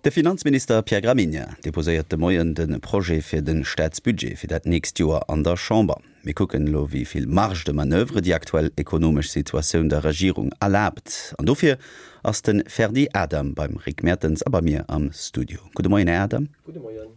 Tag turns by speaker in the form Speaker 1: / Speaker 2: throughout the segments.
Speaker 1: De Finanzminister Pierre Gramegna deposéiert de Moien de Projet fir de Staatsbudget fir dat nächst Joer an der Chamber. Mir kucken elo wéi vill Marge de manoeuvre déi aktuell ekonomesch Situatioun der Regierung erlaabt. An dofir ass de Ferdy Adam beim Rick Mertens a bei mir am Studio. Gudde Moien, Här Adam.
Speaker 2: Gudde Moien.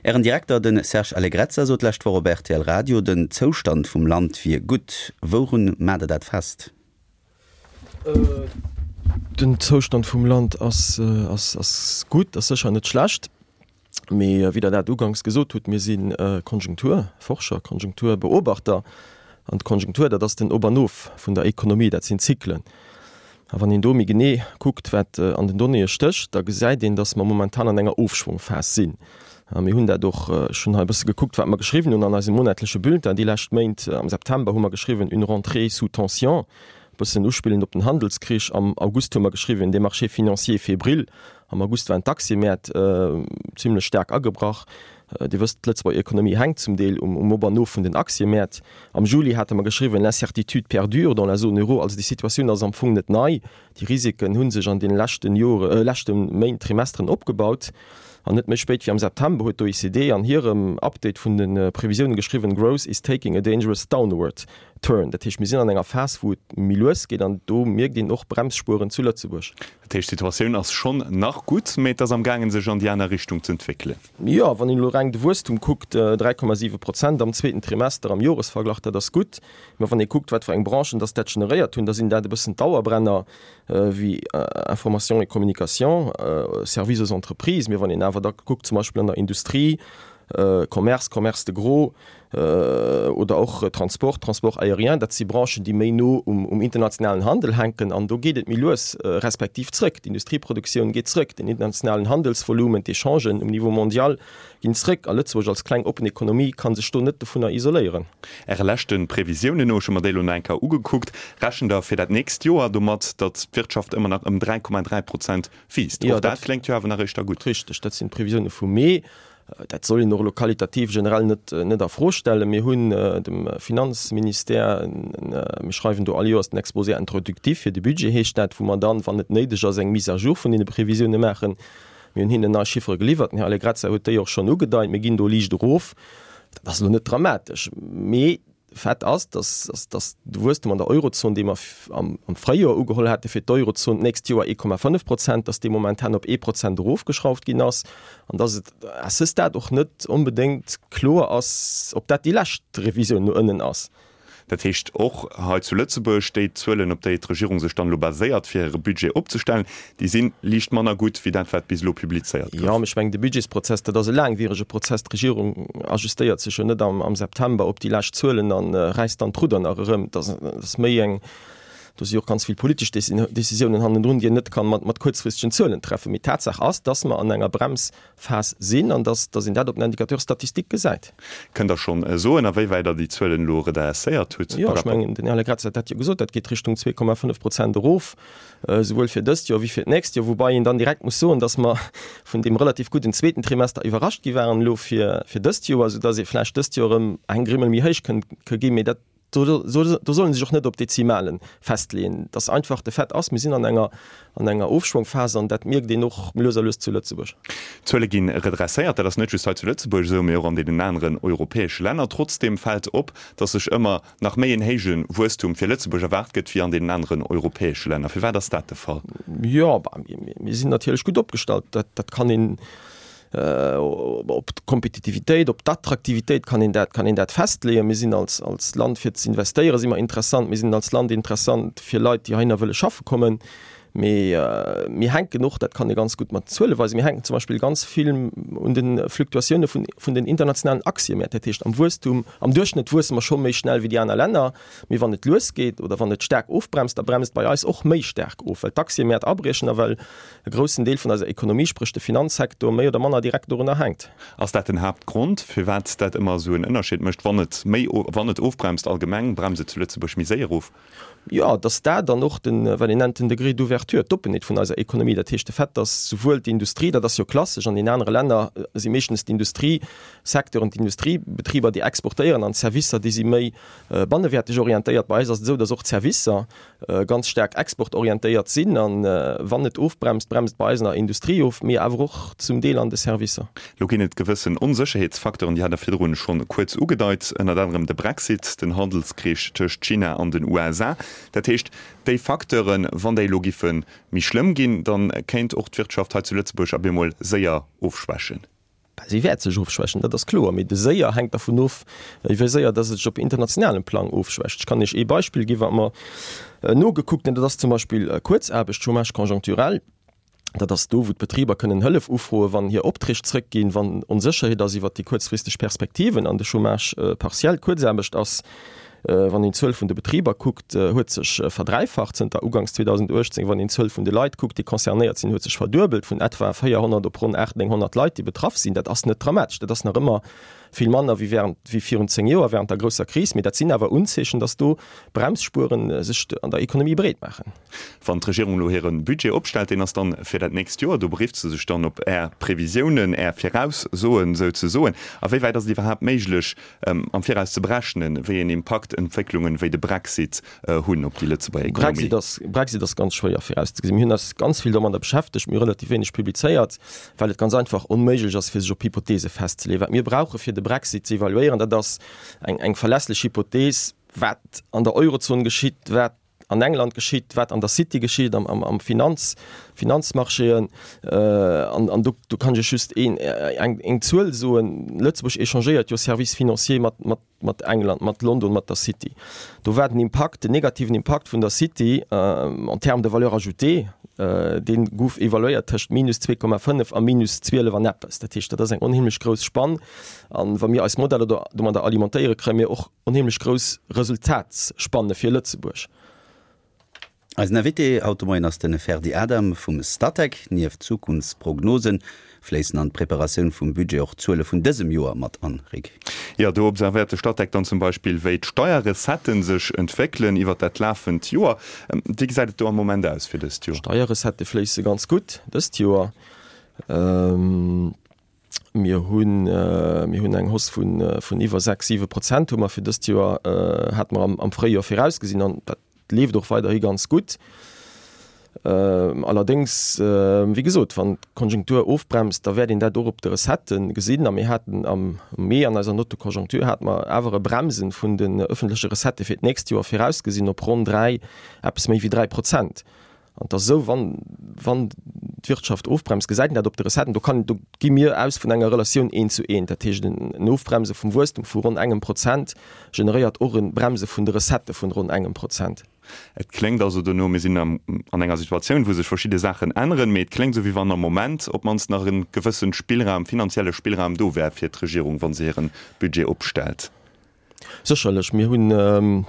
Speaker 1: Ären Direkter, de Serge Allegrezza, sot d'lescht Woch op rtl Radio, den Zoustand vum Land wier gutt. Wourun maacht Der dat fest?
Speaker 2: Den Zoustand vum Land ass gutt, ass sécher net schlecht. Mee wéi Der dat uganks gesot hutt, mir si Konjunkturforscher, Konjunkturbeobachter. An d'Konjunktur, dat ass den Op an Of vun der Ekonomie, dat sinn Zyklen. A wann een do méi genee kuckt, wat an den Donnéeë stécht, da gesäit een, datt mer momentan an enger Ofschwongphas sinn. A mir hunn dat och, ech hunn hei e bësse gekuckt, wat mer geschriwwen hunn an eisem monatleche Bulletin déi lescht Méint. Am September hu mer geschriwwen, Une rentrée sous tension, e bëssen uspillend op den Handelskrich. Am August hu mer geschriwwen, Des marchés financiers fébriles. Am August waren d'Aktiëmäert zimlech staark agebrach. Dir wësst, d'Lëtzebuerger Ekonomie hänkt zum Deel um Op an Of vun den Aktiëmäert. Am Juli hate mer geschriwwen, L'incertitude perdure dans la zone euro. Also déi Situatioun ass am Fong net nei. Déi Risiken hu sech an deene leschten Jore, leschte Méint, Trimesteren opgebaut. An net méi spéit wéi am September huet d'OECD an hirem Update vun de Previsiounen geschriwwen, Growth is taking a dangerous downward turn. Dat heescht, mir sinn an enger Phas, wou et méi lues geet an do mierkt een och Bremsspueren zu Lëtzebuerg.
Speaker 3: Dat heescht, d'Situatioun ass schonn nach gutt, mee et ass am gaangen, sech an déi aner Richtung z'entwéckelen.
Speaker 2: Jo, wann een elo reng de Wuesstum kuckt, 3,7 Prozent am zweeten Trimester am Joresverglach, dat ass gutt. Mä wann ee kuckt, wat fir eng Branchen dass dat generéiert hunn, da sinn dat e bëssen d'Dauerbrenner wéi Information et communication, Services aux entreprises. Mee wann een awer da kuckt, zum Beispill an der Industrie, Commerce, Commerce de gros oder och Transport, Transport aérien, dat si Branchen, déi méi no um internationalen Handel hänken an do geet et méi lues respektiv zrëck. D'Industrieproduktioun geet zrëck, den internationalen Handelsvolumen, d'Echangen um Niveau mondial ginn zrëck a Lëtzebuerg als kleng oppen Ekonomie ka sech do net dovunner isoléieren.
Speaker 3: Äre leschte Previsiounen no, ech hu mer déi elo nach eng Kéier ugekuckt, rechent Der fir dat nächst Joer domat, datt d'Wirtschaft ëmmer nach ëm 3,3 Prozent wiisst. Och dat kléngt jo awer nach éischter gutt.
Speaker 2: Richteg, dat sinn d'Previsioune vum Mee. Dat soll een och elo qualitativ generell net net a Fro stellen. Mir hunn dem Finanzministère, mir schreiwen do all Joers den Exposé introductif fir de Budget heescht dat, wou mer dann, wann et néideg ass, eng Mise à jour vun deene Previsioune maachen. Mir hunn hinnen nei Chiffere geliwwert. Den Här Allegrezza huet déi och schonn ugedeit. Mir ginn do liicht erof. Dat ass elo net dramatesch, mee Fait ass, dass dass de Wuesstem an der Eurozon, dee mer am Fréijoer ugeholl hate fir d'Eurozon d'nächst Joer 1,5 Prozent, dass dee momentan op ee Prozent erofgeschrauft ginn ass an dass et à ce stade och net onbedéngt kloer ass, ob dat déi lescht Revisioun no ënnen ass.
Speaker 3: Dat heescht och hei zu Lëtzebuerg, déi Zuelen, op déi d'Regierung sech dann elo baséiert, fir hire Budget opzestellen, déi si liicht manner gutt wéi dat, wat bis elo publizéiert
Speaker 2: gouf. Jo, mee ech mengen, de Budgetsprozess, dat ass e laangwierege Prozess. D'Regierung ajustéiert sech jo net am September op déi lescht Zuelen a räisst dann d'Rudder nach erëm. Dat ass méi eng, do si och ganz vill politesch Décisiounen hannendrun, déi een net ka mat kuerzfristegen Zuelen treffen. Mee Tatsaach ass, dass mer an enger Brems Phas sinn an dass dass een dat op den Indicateur statistique gesäit.
Speaker 3: Kënnt Der schonn soen, a wéiwäit Der déi Zuelen elo redresséiert hutt?
Speaker 2: Jo, ech mengen, den Här Legrazia huet dat jo gesot, dat geet Richtung 2,5 Prozent erof, souwuel fir dëst Joer wéi fir d'nächst Joer, woubai een dann direkt muss soen, dass mer vun deem relativ gudden zweeten Trimester iwwerrascht gi waren elo fir fir dëst Joer, soudass ee vläicht dëst Joer erëm eng Grimmel méi héich kënnt ginn, mee dat Do soll ee sech och net op Dezimale festleeën. Dass einfach de Fait ass, mir sinn an enger an enger Ofschwongphas an dat mierkt een och lues a lues zu Lëtzebuerg.
Speaker 3: D'Zuele gi redresséiert. Dat ass net just hei zu Lëtzebuerg esou, mee och an deenen aneren europäesche Länner. Trotzdeem fält op, dass sech ëmmer nach méi en héije Wuesstum fir Lëtzebuerg erwaart gëtt wéi an deenen aneren europäesche Länner. Firwat ass dat de Fall?
Speaker 2: Jo, mir sinn natierlech gutt opgestallt. Dat kann een Op d'Kompetitivitéit, op d'Attraktivitéit kann een dat, kann een dat festleeën. Mir sinn als, als Land fir ze investéieren si mer interessant. Mir sinn als Land interessant fir Leit, déi heihinner wëlle schaffe kommen. Mee mir hänken och, dat kann ee ganz gutt mat Zuele weisen, mir hänken zum Beispill ganz vill un de Fluktuatioune vun, vun den internationalen Aktiëmäert. Dat heescht am Wuesstum, am Duerchschnëtt wuesse mer scho méi schnell wéi déi aner Länner. Mee wann et lues geet oder wann et staark ofbremst, da bremst et bei eis och méi staark of, well d'Aktiëmäert abriechen a well e groussen Deel vun eiser Ekonomie, spréch de Finanzsektor, méi oder manner direkt dorunner hänkt.
Speaker 3: Ass dat den Haaptgrond, firwat dat ëmmer esou en Ënnerscheed mécht, wann et méi, wann et ofbremst allgemeng, bremst et zu Lëtzebuerg méi séier of?
Speaker 2: Jo, dass dat an och den, wat een nennt den Degré d'ouverture, d'Oppenheet vun eiser Ekonomie, dat heescht de Fait, dass souwuel d'Industrie, dat ass jo klassesch, an den anere Länner si meeschtens d'Industriesecteuren, d'Industriebetriber, déi exportéieren an d'Servicer, déi si méi bannewäerteg orientéiert. Bei eis ass et esou, dass och d'Servicer ganz staark exportorientéiert sinn. A wann et ofbremst, bremst et bei eis an der Industrie of, mee awer och zum Deel an de Servicer.
Speaker 3: Lo ginn et gewëssen Onsécherheetsfacteuren, déi hat Der virdrun schonn kuerz ugedeit, ënnert anerem de Brexit, den Handelskrich tëscht China an den USA. Dat heescht, déi Facteuren, wann déi elo giffe méi schlëmm ginn, da kéint och d'Wirtschaft hei zu Lëtzebuerg op eemol séier ofschwächen.
Speaker 2: Si wäert sech ofschwächen, dat ass kloer, mee de séier hänkt dervun of, wéi séier dass et sech op internationalem Plang ofschwächt. Ech kann Iech ee Beispill ginn, wat mer nogekuckt hunn, dat ass zum Beispill Kuerzaarbecht, Chômage conjoncturel. Dat ass do, wou d'Betriber kënnen Hëllef ufroen, wann hir Opträg zrëckginn, wann Onsécherheet ass iwwert déi kuerzfristeg Perspektiven. An de Chômage partiel, Kuerzaarbecht, ass, wann een d'Zuel vun de Betriber kuckt, huet sech verdräifacht zënter uganks 2018. Wann een d'Zuel vun de Leit kuckt, déi concernéiert sinn, huet sech verduebelt, vun etwa 400 op ronn 800, 900 Leit, déi betraff sinn. Dat ass net dramatesch, dat ass nach ëmmer vill manner wéi während, wéi virun 10 Joer, während der grousser Kris. Mee dat sinn awer Unzeechen, dass do Bremsspueren sech an der Ekonomie breet maachen.
Speaker 3: Wann d'Regierung elo hire Budget opstellt, deen ass dann fir dat nächst Joer, do berifft se sech dann op Är Previsiounen, Är Viraussoen souzesoen. A wéi wäit ass et iwwerhaapt méiglech, am Viraus ze berechnen, wéi een Impakt Entwécklungen wéi de Brexit hunn op déi Lëtzebuerger Ekonomie?
Speaker 2: Brexit ass ganz schwéier virauszegesinn. Mir hunn eis ganz vill domadder beschäftegt, mir hu relativ wéineg publizéiert, well et ganz einfach onméiglech ass, fir sech op Hypothese festzeleeën. Wat mir brauche fir de Brexit ze evaluéieren, dat ass eng verlässlech Hypothese, wat an der Eurozon geschitt, wat an England geschitt, wat an der City geschitt, am Finanz, Finanzmarchéen. An do, do kann ech Iech just een, eng, eng Zuel soen, Lëtzebuerg échangéiert jo Services financiers mat, mat, mat England, mat London, mat der City. Do war den Impakt, den negativen Impakt vun der City en termes de valeur ajoutée, dee gouf evaluéiert tëscht minus 2,5 a minus 12 an eppes. Dat heescht, dat ass eng onheemlech grouss Spann. An wa mir eis Modeller do domadder alimentéieren, kréie mir och onheemlech grouss Resultatsspanne fir Lëtzebuerg.
Speaker 1: Eisen Invité haut de Moien ass de Ferdy Adam vum Statec. Nieft Zukunftsprognose fléissen an d'Preparatioun vum Budget och d'Zuele vun dësem Joer mat an, Rick.
Speaker 3: Jo, do observéiert de Statec dann zum Beispill, wéi d'Steierrecetten sech entwéckelen iwwert dat lafend Joer. Wéi gesäit et do am Moment aus fir dëst Joer?
Speaker 2: D'Steierrecettë fléisse ganz gutt dëst Joer. Mir hunn, mir hunn eng Hausse vun, vun iwwer 6, 7 Prozent hu mer fir dëst Joer, hate mer am, am Fréijoer virausgesinn an dat leeft och weiderhi ganz gutt. Allerdéngs, wéi gesot, wann d'Konjunktur ofbremst, da wäert een dat och op de Recettë gesinn. A mir haten am Mee an eiser Note de conjoncture hate mer awer e Bremsen vun den öffentleche Recettë fir d'nächst Joer virausgesinn op ronn 3, eppes méi wéi 3 Prozent. An et ass esou, wann, wann d'Wirtschaft ofbremst, gesäit een dat op de Recetten. Do kann, do gi mir aus vun enger Relatioun eent zu eent. Dat heescht, en Ofbremse vum Wuesstum vu ronn engem Prozent generéiert och e Bremse vun de Recettë vun ronn engem Prozent.
Speaker 3: Et kléngt also dono, mir sinn an enger Situatioun, wou sech verschidde Saachen änneren, mee et kléngt esou, wéi wann am Moment op d'mannst nach e gewësse Spillraum, finanzielle Spillraum do wär fir d'Regierung, wa se hire Budget opstellt.
Speaker 2: Sécherlech. Mir hunn,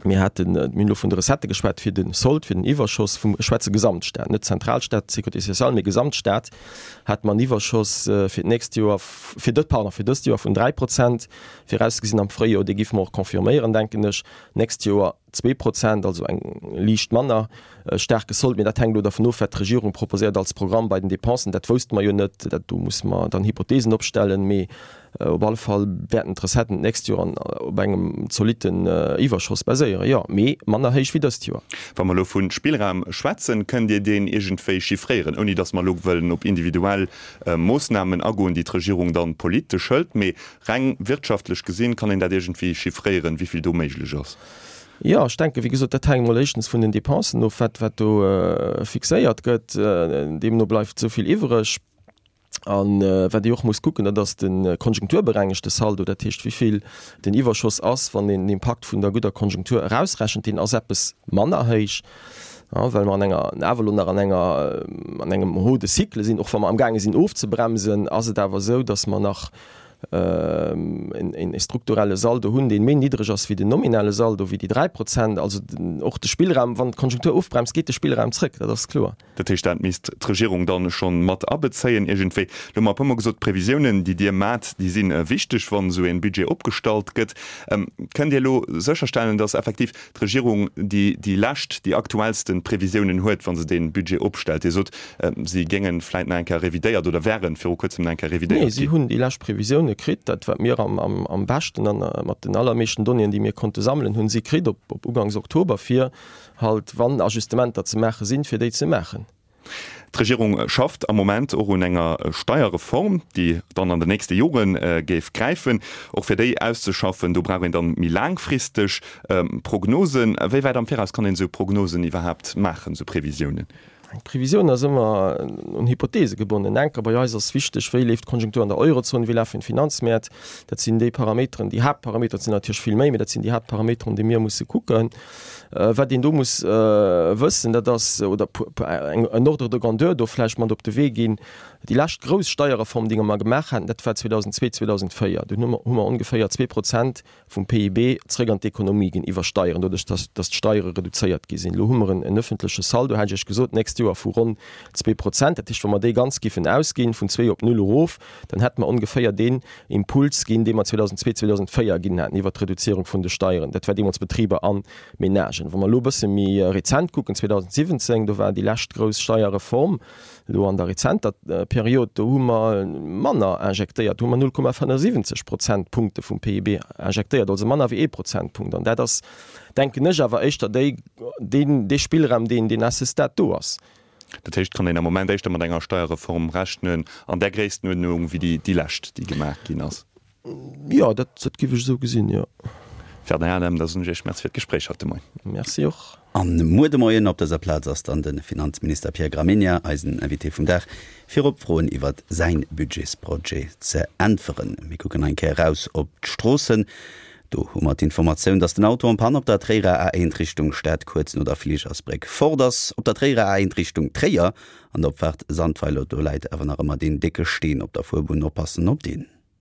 Speaker 2: mir haten, mir hunn elo vun de Recettë geschwat fir de Sold, fir den Iwwerschoss vum, ech schwätze Gesamtstaat, net Zentralstaat, Sécurité sociale, mee Gesamtstaat, hate mer en Iwwerschoss fir d'nächst Joer, fir dë, pardon, fir dëst Joer vun 3 Prozent virausgesinn am Fréijoer. Dee géife mer och confirméieren, denken ech. D'nächst Joer 2 Prozent, also eng liicht manner staarke Sold. Mee dat hänkt elo dervun of, wat d'Regierung proposéiert als Programm bei den Dépensen. Dat wousste mer jo net. Dat, do musse mer dann Hypothesen opstellen. Mee Op alle Fall wäerten d'Recetten d'nächst Joer op engem zolitten Iwwerschoss baséieren, jo, mee manner héich wéi dëst Joer.
Speaker 3: Wa mer elo vu Spillraum schwätzen, kënnt Dir deen iergendwéi chiffréieren, ouni datt mer elo wëllen op individuell Moossnamen agoen, déi d'Regierung dann politesch hëlt, mee reng wirtschaftlech gesinn, kann een dat iergendwéi chiffréieren, wéi vill do méiglech ass?
Speaker 2: Jo, ech denken, wéi gesot, dat hänkt emol éischtens vun den Dépensen of, wat wat do fixéiert gëtt. Deemno bleift esou vill iwwreg. An wat ee och muss kucken, dat ass de konjunkturberengegte Saldo, dat heescht wéi vill den Iwwerschoss ass, wann een den Impakt vun der gudder Konjunktur erausrechent. Deen ass eppes manner héich, well mer an enger, awer elo nach an enger, an engem Haut de cycle sinn. Och wa mer amgaange sinn ofzebremsen, ass et awer esou, datt mer nach. En strukturelle Saldo hunn, dee méi niddreg ass wéi den nominale Saldo, wéi déi 3%. Also och de Spillraum, wann d'Konjunktur ofbremst, geet de Spillraum zrëck, dat ass kloer.
Speaker 3: Dat heescht, dat misst d'Regierung dann schonn mat abezéien iergendwéi. Lo hu mer e puermol gesot, d'Previsiounen, déi Dir maacht, déi si wichteg, wann esou e Budget opgestallt gëtt. Kënnt Dir elo sécherstellen, datt effektiv d'Regierung déi déi lescht, déi aktuellsten Previsiounen huet, wa se dee Budget opstellt? Dir sot, si géinge vläit nach eng Kéier revidéiert oder wäre viru kuerzem nach eng Kéier revidéiert
Speaker 2: ginn. Nee, si hunn déi lescht Previsioune kritt. Dat, wat mir am beschten a mat den allermeeschten Donnéeën, déi mir konnte sammelen, hunn si kritt op ugangs Oktober, fir halt, wann Ajustementer ze maache sinn, fir déi ze maachen.
Speaker 3: D'Regierung schafft am Moment och un enger Steierreform, déi dann an den nächste Jore géif gräifen. Och fir déi auszeschaffen, do brauch een dann méi laangfristeg Prognosen. Wéi wäit am Viraus kann een esou Prognosen iwwerhaapt maachen, esou Previsiounen?
Speaker 2: Eng Previsioun ass ëmmer un Hypothese gebonnen. Enker bei eis ass wichteg, wéi leeft d'Konjunktur an der Eurozon, wéi lafen d'Finanzmäert. Dat sinn déi Parameteren, déi Haaptparameteren, et sinn natierlech vill méi, mee dat sinn déi Haaptparameteren, déi mir musse kucken. Wat een do muss wëssen, dat ass, oder en Ordre de grandeur do vläicht mat op de Wee ginn, Déi lescht grouss Steierreform, déi mer gemaach haten, dat war 2002, 2004. Dunn hu mer ongeféier 2% vum PIB zréck an d'Ekonomie ginn iwwer Steieren, doduerch datt d'Steiere reduzéiert gi sinn. Elo hu mer en öffentleche Saldo, hat ech Iech gesot, d'nächst Joer vu ronn 2%. Dat heescht, wa mer dee ganz giffen ausginn, vun zwee op null erof, dann hätte mer ongeféier deen Impuls ginn, dee mer 2002, 2004 ginn haten iwwert d'Reduzierung vun de Steieren. Dat war deemools Betriber a Menagen. Wa mer elo e bësse méi rezent kucken, 2017, do war déi lescht grouss Steierreform, elo an der rezenter Period, do hu mer manner injektéiert, do hu mer 0,75 Prozentpunkte vum PIB injektéiert, also manner wéi ee Prozentpunkt. An dat ass, denken ech, awer éischter déi, deen, dee Spillraum, deen, deen à ce stade do ass.
Speaker 3: Dat heescht, kann een am Moment éischter mat enger Steierreform rechnen an där Gréisstenuerdnung wéi déi, déi lescht, déi gemaach ginn ass?
Speaker 2: Jo, dat, dat géif ech esou gesinn, jo.
Speaker 3: Ferdinand Adam, da soen ech Iech Merci fir d'Gespréich haut de Moien.
Speaker 2: Merci och.
Speaker 1: An muer de Moien op dëser Plaz ass dann de Finanzminister Pierre Gramegna eisen Invité vum Dag, fir op Froen iwwert säin Budgetsprojet ze äntweren. Mir kucken eng Kéier eraus op d'Stroossen. Do hu mer d'Informatioun, dass den Auto en panne op der Tréierer A1 Richtung Stad kuerz no der Fligersbréck fort ass. Op der Tréierer A1 Richtung Tréier an der Opfaart Sandweiler, do läit awer nach ëmmer deen décke Steen op der Fuerbunn. Oppassen op deen.